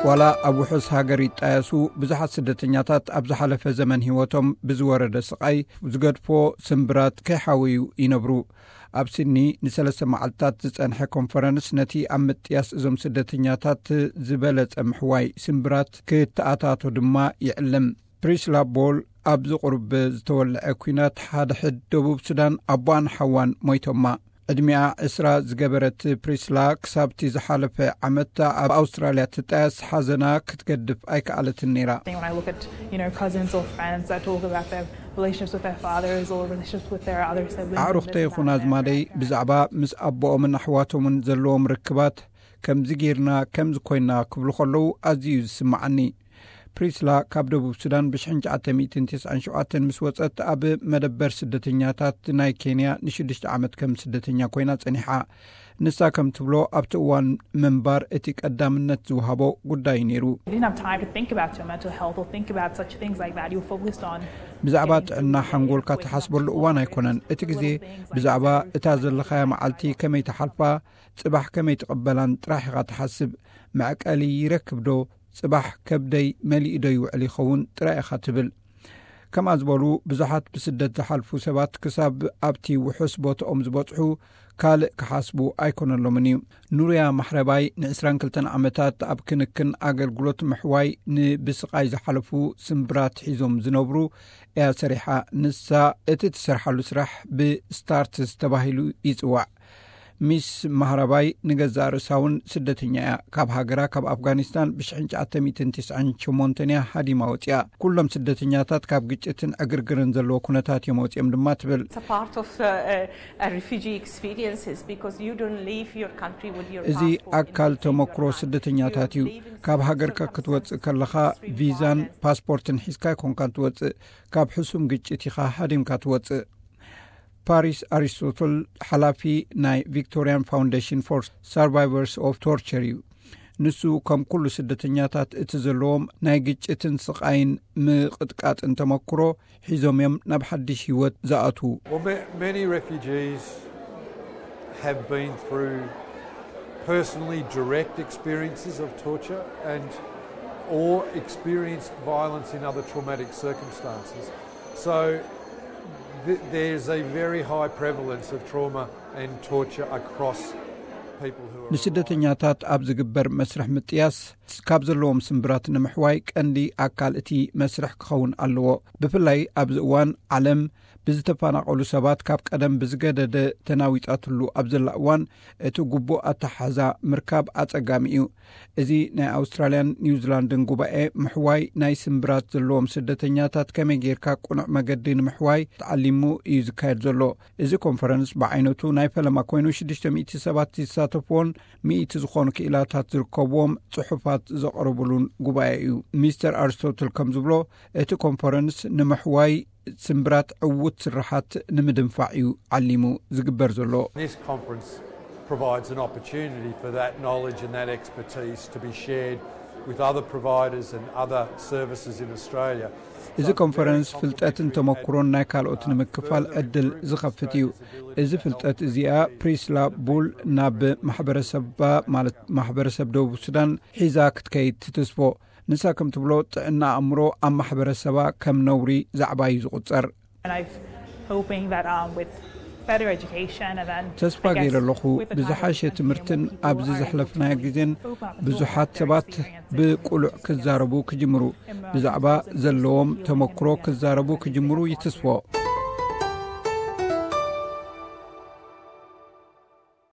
ዋላ ኣብ ውሑስ ሃገር ይጣየሱ፣ ብዙሓት ስደተኛታት ኣብ ዝሓለፈ ዘመን ህይወቶም ብዝወረደ ስቓይ ዝገድፎ ስምብራት ከይሓወዩ ይነብሩ። ኣብ ሲድኒ ንሰለስተ መዓልትታት ዝጸንሐ ኮንፈረንስ፣ ነቲ ኣብ ምጥያስ እዞም ስደተኛታት ዝበለጸ ምሕዋይ ስምብራት ክተኣታቶ ድማ ይዕልም። ፕሪስላ ቦል ኣብዚ ቁሩብ ዝተወልዐ ኲናት ሓድሕድ ደቡብ ሱዳን ኣቦኣን ሓዋን ሞይቶማ። ዕድሚኣ ዕስራ ዝገበረት ፕሪስላ፣ ክሳብቲ ዝሓለፈ ዓመት ኣብ ኣውስትራልያ ትጣየስ ሓዘና ክትገድፍ ኣይከኣለትን ነይራ። When I look at, you know, cousins or friends that talk about their relationships with their fathers or relationships with their other siblings, ኣዕሩኽተይ ይኹን ኣዝማደይ ብዛዕባ ምስ ኣቦኦምን ኣሕዋቶምን ዘለዎም ርክባት፣ ከምዚ ጌርና፣ ከምዚ ኮይና ክብሉ ከለዉ ኣዝዩ እዩ ዝስምዓኒ። ፕሪስላ ካብ ደቡብ ሱዳን ብ1997 ምስ ወጸት፣ ኣብ መደበር ስደተኛታት ናይ ኬንያ ንሽዱሽተ ዓመት ከም ስደተኛ ኮይና ጸኒሓ። ንሳ ከም ትብሎ፣ ኣብቲ እዋን ምንባር እቲ ቀዳምነት ዝወሃቦ ጉዳይ እዩ ነይሩ። You didn't have time to think about your mental health or think about such things like that. You were focused on ብዛዕባ ጥዕና ሓንጎልካ ትሓስበሉ እዋን ኣይኮነን። እቲ ግዜ ብዛዕባ እታ ዘለኻያ መዓልቲ ከመይ ትሓልፋ፣ ጽባሕ ከመይ ትቕበላን ጥራሕ ኢኻ ትሓስብ። መዕቀሊ ይረክብ ዶ፣ ጽባሕ ከብደይ መሊኡ ዶ ይውዕል ይኸውን ጥራይ ኢኻ ትብል። ከምኣ ዝበሉ ብዙሓት ብስደት ዝሓልፉ ሰባት፣ ክሳብ ኣብቲ ውሑስ ቦታኦም ዝበጽሑ ካልእ ክሓስቡ ኣይኮነሎምን እዩ። ኑርያ ማሕረባይ ን22 ዓመታት ኣብ ክንክን ኣገልግሎት ምሕዋይ ንብስቓይ ዝሓለፉ ስምብራት ሒዞም ዝነብሩ እያ ሰሪሓ። ንሳ እቲ ትሰርሓሉ ስራሕ ብስታርትስ ተባሂሉ ይጽዋዕ። ሚስ ማህረባይ ንገዛእ ርእሳ እውን ስደተኛ እያ። ካብ ሃገራ፣ ካብ ኣፍጋኒስታን፣ ብ1998 እያ ሃዲማ ወፂኣ። ኩሎም ስደተኛታት ካብ ግጭትን ዕግርግርን ዘለዎ ኩነታት እዮም ወፂኦም ድማ ትብል። It's a part of uh, uh, a refugee experiences because you don't leave your country with your እዚ passport in ኣካል the same ተመክሮ country. ስደተኛታት እዩ። You're leaving ካብ certain ሃገርካ ክትወፅእ circumstances, ከለኻ extreme ቪዛን violence. ፓስፖርትን ሒዝካ ኣይኮንካን ትወፅእ። ካብ ሕሱም ግጭት ኢኻ ሃዲምካ ትወፅእ። ፓሪስ ኣሪስቶትል፣ ሓላፊ ናይ ቪክቶሪያን ፋውንዴሽን ፎር ሰርቫይቨርስ ኦፍ ቶርቸር እዩ። ንሱ ከም ኩሉ ስደተኛታት እቲ ዘለዎም ናይ ግጭትን ስቓይን ምቕጥቃጥን ተመክሮ ሒዞም እዮም ናብ ሓድሽ ህይወት ዝኣትዉ። Well, ma- many refugees have been through personally direct experiences of torture and or experienced violence in other traumatic circumstances. So th- there's a very high prevalence of trauma and torture across people who are ንስደተኛታት ኣብ ዝግበር መስርሕ ምጥያስ ካብ ዘለዎም ስምብራት ንምሕዋይ ቀንዲ ኣካል እቲ መስርሕ ክኸውን ኣለዎ። ብፍላይ ኣብዚ እዋን ዓለም ብዝተፈናቐሉ ሰባት ካብ ቀደም ብዝገደደ ተናዊጻትሉ ኣብ ዘላ እዋን፣ እቲ ግቡእ ኣተሓሕዛ ምርካብ ኣጸጋሚ እዩ። እዚ ናይ ኣውስትራልያን ኒውዚላንድን ጉባኤ ምሕዋይ ናይ ስምብራት ዘለዎም ስደተኛታት ከመይ ጌርካ ቅኑዕ መገዲ ንምሕዋይ ተዓሊሙ እዩ ዝካየድ ዘሎ። እዚ ኮንፈረንስ ብዓይነቱ ናይ ፈለማ ኮይኑ፣ ሽዱሽተ ሚእቲ ሰባት ዝሳተፍዎን ሚእቲ ዝኾኑ ክኢላታት ዝርከብዎም ጽሑፋት ዘቕረብሉን ጉባኤ እዩ። ሚስተር ኣሪስቶትል ከም ዝብሎ፣ እቲ ኮንፈረንስ ንምሕዋይ ስምብራት ዕዉት ስርሓት ንምድንፋዕ እዩ ዓሊሙ ዝግበር ዘሎ። This conference provides an opportunity for that knowledge and that expertise to be shared with other providers and other services in Australia. እዚ ኮንፈረንስ ፍልጠትን ተመክሮን ናይ ካልኦት ንምክፋል ዕድል ዝኸፍት እዩ። እዚ ፍልጠት እዚኣ ፕሪስላ ቡል ናብ ማሕበረሰባ፣ ማለት ማሕበረሰብ ደቡብ ሱዳን ሒዛ ክትከይድ ትትስፎ። ንሳ ከም ትብሎ፣ ጥዕና ኣእምሮ ኣብ ማሕበረሰባ ከም ነውሪ ዛዕባ እዩ ዝቑጸር። And I'm hoping that um, with better education and then ተስፋ ገይረ ኣለኹ፣ ብዝሓሸ ትምህርትን ኣብዚ ዘሕለፍናዮ ግዜን ብዙሓት ሰባት ብቁሉዕ ክዛረቡ ክጅምሩ፣ ብዛዕባ ዘለዎም ተመክሮ ክዛረቡ ክጅምሩ ይትስፎ።